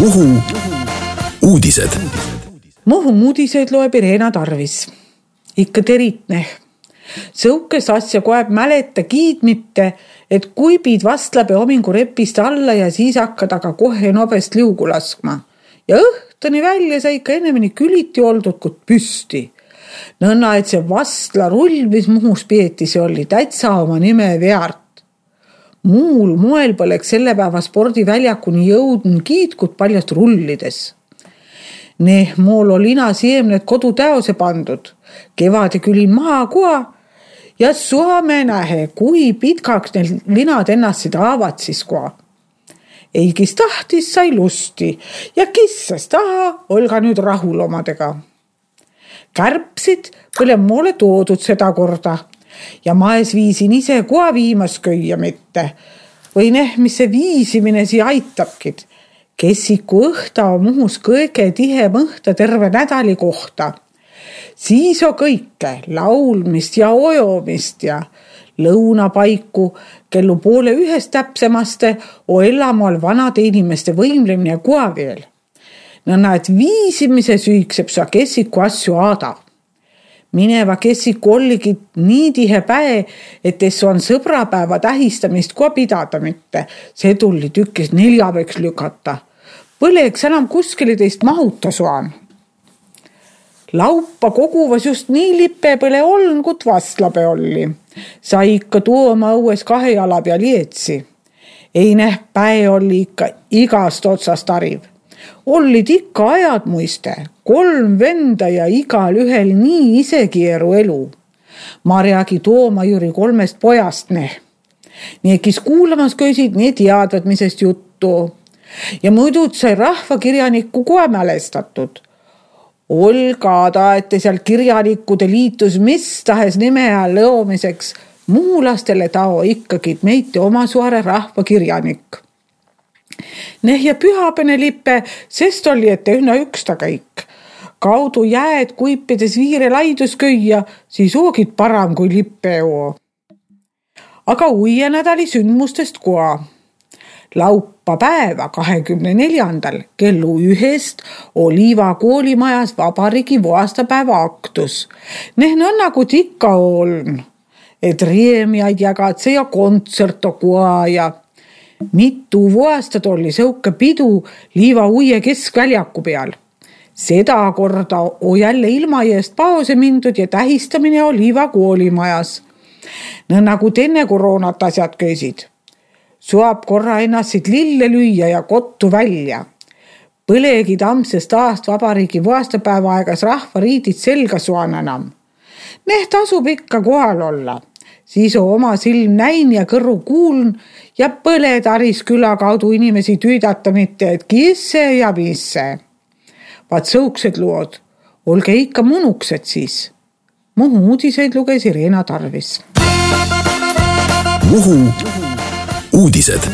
Muhu uudised. Muhu uudiseid loeb Irena Tarvis. Ikka teritne. Sõukes asja koeb mäleta kiidmitte, et kui piid vastlabe omingu repist alla ja siis hakkad aga kohe nobest liugu laskma. Ja õhtani välja sai ikka ennemini küliti oldud kui püsti. Nõnna, et see vastla rull, mis Muhus peeti, see oli täitsa oma nime veart. Muul moel poleks selle päeva spordiväljakuni jõudnud kiitkut paljast rullides. Mool oli lina siemned kodu täose pandud. Kevade külin maha koa ja suame nähe, kui pitkaks neil linad ennast seda avatsis koa. Ei, kes tahtis, sai lusti ja kissas taha, olga nüüd rahul omadega. Kärpsid põle moole toodud seda korda ja maes viisin ise koa viimas köia mitte. Või mis see viisimine siia aitabkid. Kessiku õhta on Muhus kõige tihem õhta terve nädali kohta. Siis on kõike, laulmist ja ojomist ja lõunapaiku, kellu 12:30 täpsemaste o elamoal vanade inimeste võimlemine koa veel. Nõnna, et viisimise süükseb sa kessiku asju aada. Mineva kessiku olligi nii tihe päe, et tessu on sõbrapäeva tähistamist koa pidada mitte. See tulli tükkis 4 lükata. Põleks enam kuskile teist mahuta suan. Laupa koguvas just nii lippe põle oln, kut vastlabe olli. Sai ikka tuoma õues 2 jala peal lietsi. Ei päe oli ikka igast otsast ariv. Ollid ikka ajad muiste, 3 venda ja igal ühel nii isekieru elu. Marjagi Tooma Jüri 3 pojast Nii, kes kuulamas köisid, nii teadvad, misest juttu. Ja muidu sai rahvakirjanikku kohe mälestatud. Olga taete seal kirjanikude liitus mis tahes nime all lõomiseks. Muulastele tao ikkagi meite oma suare rahvakirjanik. Ja pühapene lippe, sest oli ette ühna üksta kõik. Kaudu jääd kuipides viire laidus köia, siis oogid param kui lippe joo. Aga uie nädali sündmustest koa. Laupa päeva 24. kellu 1 Oliva koolimajas vabariigi aastapäeva aktus. Nõnna kui ikka oln, et riemiaid jagatse ja kontserto koa ja mitu aastat oli sõuke pidu Liiva uie keskväljaku peal. Seda korda on jälle ilmajäest paose mindud ja tähistamine Oliva koolimajas. Nõnna kui enne koroonat asjad köisid. Suab korra ennast lille lüüa ja kottu välja. Põlegi tamsest aast vabariigi aastapäeva aegas rahvariidid selga suan enam. Tasub ikka kohal olla. Siis on oma silm näin ja kõrru kuuln ja põle taris küla kaudu inimesi tüüdata mitte, et kisse ja misse. Vaat sõuksed lood, olge ikka munuksed siis. Muhu uudiseid luges Irena Tarvis. Muhu uudised.